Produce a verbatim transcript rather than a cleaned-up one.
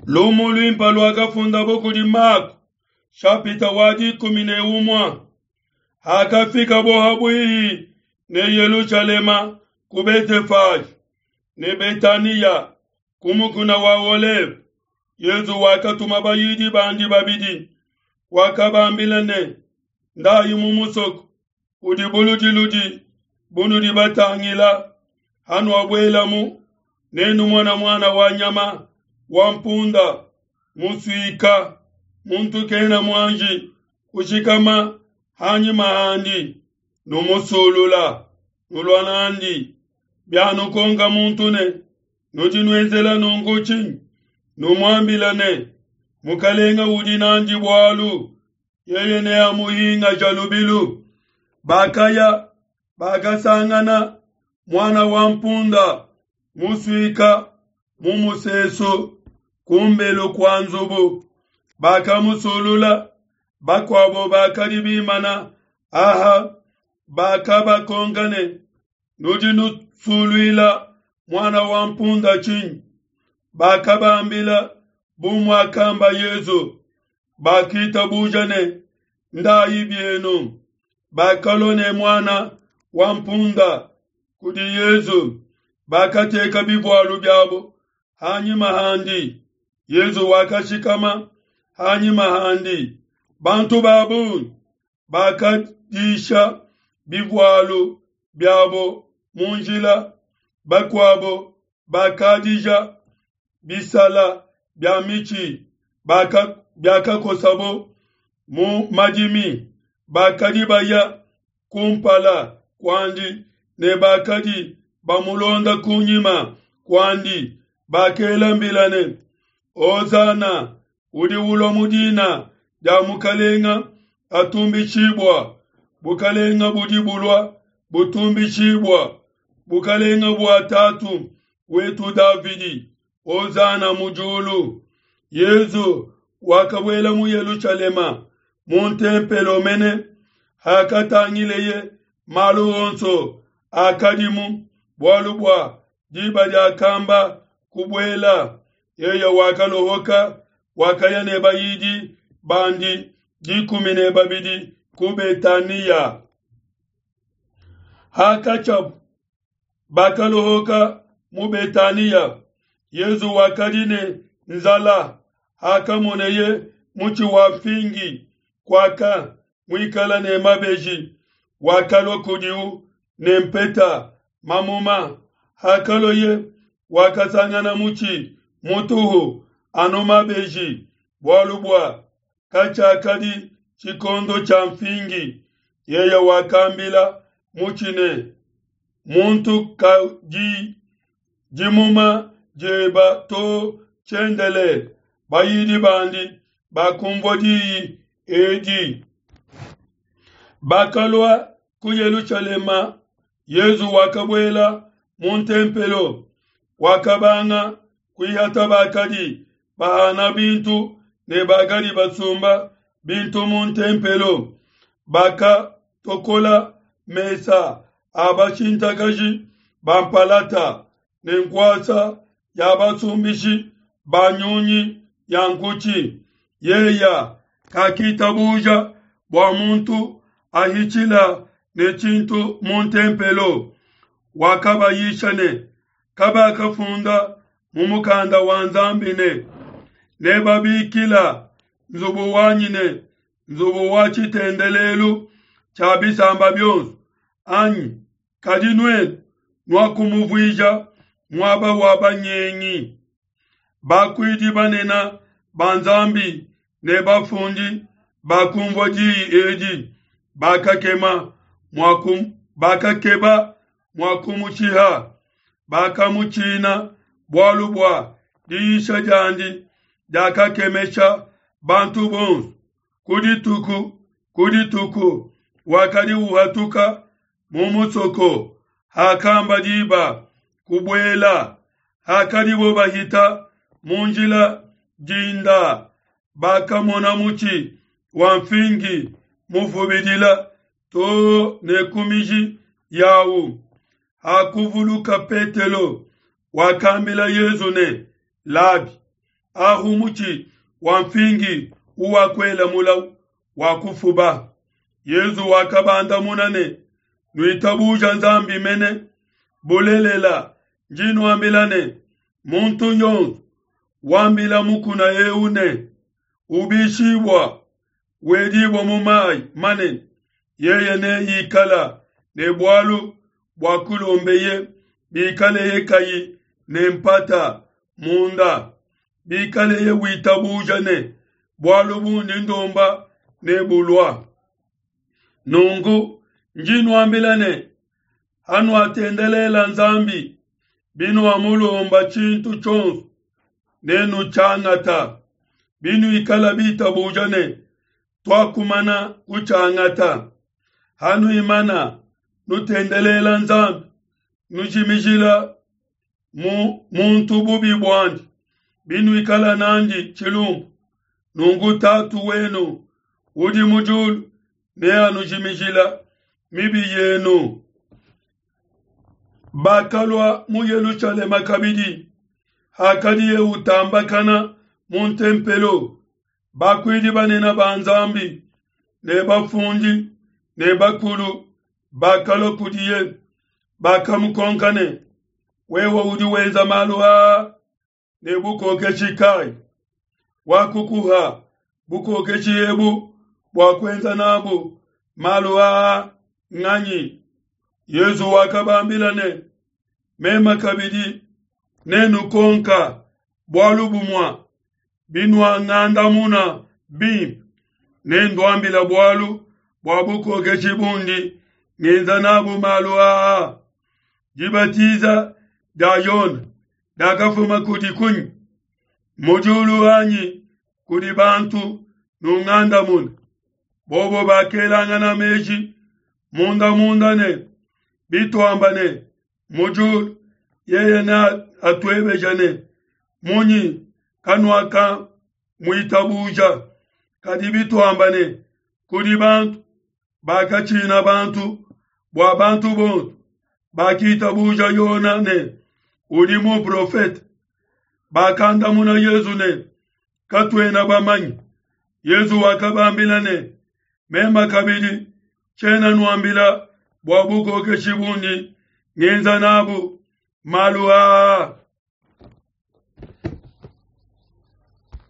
Lumu luimpe luakafundabo kudi Mako, shapita wa dikumi ne umue. Hakafikabo habuihi ne Yelushalema ku Betefage ne Betaniya ku mukuna wa Oleve, Yesu wakatuma bayidi bandi babidi, wakabambila ne: Ndayi mu musoko udi buludiludi bunudi batangila, hanuabuelamu nenumone muana wa nyama wa mpunda musuika, muntu kena muanji kushikama hanyima handi, numusulula, nulua n'andi. Bianukonka muntu ne: Nudi nuenzela nunku tshinyi? Numuambile ne: Mukelenge udi n'andi bualu, yeye neamuhingashe lubilu. Bakaya, bakasangana muana wa mpunda musuika mu musesu kumbelu kua nzubu, bakamusulula. Bakuabo bakadi bimana aha bakabakonka ne: Nudi nusuluila muana wa mpunda tshinyi? Bakabambila bu muakamba Yesu. Bakitabuja ne: Ndayi bienu. Bakalua ne muana wa mpunda kudi Yesu, bakateka bivualu biabo hanyima handi. Yesu wakashikama hanyima handi. Bantu ba bungi bakadisha bivualu biabo mu njila, bakuabo bakadija bisala bia mitshi biakakosabo mu madimi. Bakadi baya kumpala kuandi ne bakadi bamulonda kunyima kuandi, bakela mbila ne: Hosana, udi ulua mu dina dia Mukalenga atumbishibua, bukalenga budi bulua butumbishibua, bukalenga bua tatu wetu Davidi, Hosana mu diulu. Yesu wakabuela mu Yelushalema mu ntempelo mene, hakatangileye malu onso akadimu, bualu bua diba diakamba kubuela, yeye wakalohoka, wakaya ne bayidi bandi dikumi ne babidi ku Betaniya. Hakatshiabu bakalohoka mu Betaniya, Yesu wakadi ne nzala. Hakamoneye mutshi wa mfingi kuaka muikala ne mabeji, wakalua kudiu ne mpeta mamuma. Hakaloye wakasangana mutshi mutuhu anu mabeji, bualu bua katshiakadi tshikondo tshia mfingi. Yeye wakambila mutshi ne: Muntu kadi dimuma dieba to tshiendelele. Bayidi bandi bakumvua diyi edi. Bakalua ku Yelushalema. Yesu wakabuela mu ntempelo, wakabanga kuihata bakadi bahana bintu ne bakadi basumba bintu mu ntempelo. Bakatokola mesa a bashintakaji ba mpalata ne nkuasa ya basumbishi ba nyunyi ya nkutshi. Yeya kakitabuja bua muntu ahitshila ne tshintu mu ntempelo. Wakabayisha ne: Kabakafunda mu mukanda wa Nzambi ne: Nebabikila nzubu wanyi ne nzubu wa tshitendelelu tshia bisamba bionso, anyi? Kadi nuenu nuakumuvuija muaba wa banyengi. Bakuidi banene ba Nzambi ne bafundi bakumvua diyi edi, bakakema mua bakakeba mua kumushiha. Bakamutshina, bualu bua diyisha diandi diakakemesha bantu bonso. Ku dituku ku dituku wakadi uhatuka mu musoko, hakamba diba kubuela. Hakadibo bahita mu njila dinda, bakamona mutshi wa mfingi mufubidila to ne ku miji yawu. Hakuvuluka Petelo, wakambila Yesu ne: Labi, Ahu mutshi wa mfingi uwakuela mulawu wakufuba. Yezu wakabandamuna ne, Nuitabuja Nzambi mene, bulelela ndi nuambila ne, muntu yonso wambila mukuna eu ne, ubishibua wedibua mu mayi manene, yeye neikala ne bualu bua kulombeye bikaleye kayi ne mpata munda, bikaleye witabuja ne bualu bundi ndomba nebulua. Nunku ndi nuambila ne, hanuatendelela Nzambi, binuamulomba tshintu tshionso, nenutshiangata. Binuikala bitabuja ne tuakumana kutshiangata. Hanuimana nutendelela Nzambi, nujimijila mu muntu bubi buandi, binuikala nandi tshilumbu, nunku Tatu wenu udi mu diulu neanujimijila mibi yenu. Bakalua mu Yelushalema kabidi, hakadiye utambakana mu ntempelo, bakuidi banene ba Nzambi ne bafundi ne bakulu bakalua kudiye, bakamukonka ne, wewe udi wenza malu aa ne bukokeshi kai? Wakukuha bukokeshi ebu bua kuenza nabu malu aa nganyi? Yezu wakabambila ne, mema kabidi nenukonka bualu bumua, binuangandamuna bimpe, nenduambila bualu bua bukokeshi bundi ngenza nabu malu aa. Dibatiza dia Yone diakafuma kudi kunyi? Mu diulu anyi kudi bantu? Nungandamune. Bobo bakelangana meji munda munda ne, bituamba ne, mu diulu, yeye ne atuebeja ne, munyi kanuaka muitabuja? Kadi bituamba ne, kudi bantu, bakatshina bantu, bua bantu bonso bakitabuja Yona ne udi muprofete. Bakandamuna Yezu ne, katuena bamanye. Yezu wakabambila ne, mema kabidi tshiena nuambila bua bukokeshi bundi ngenza nabu malu aa.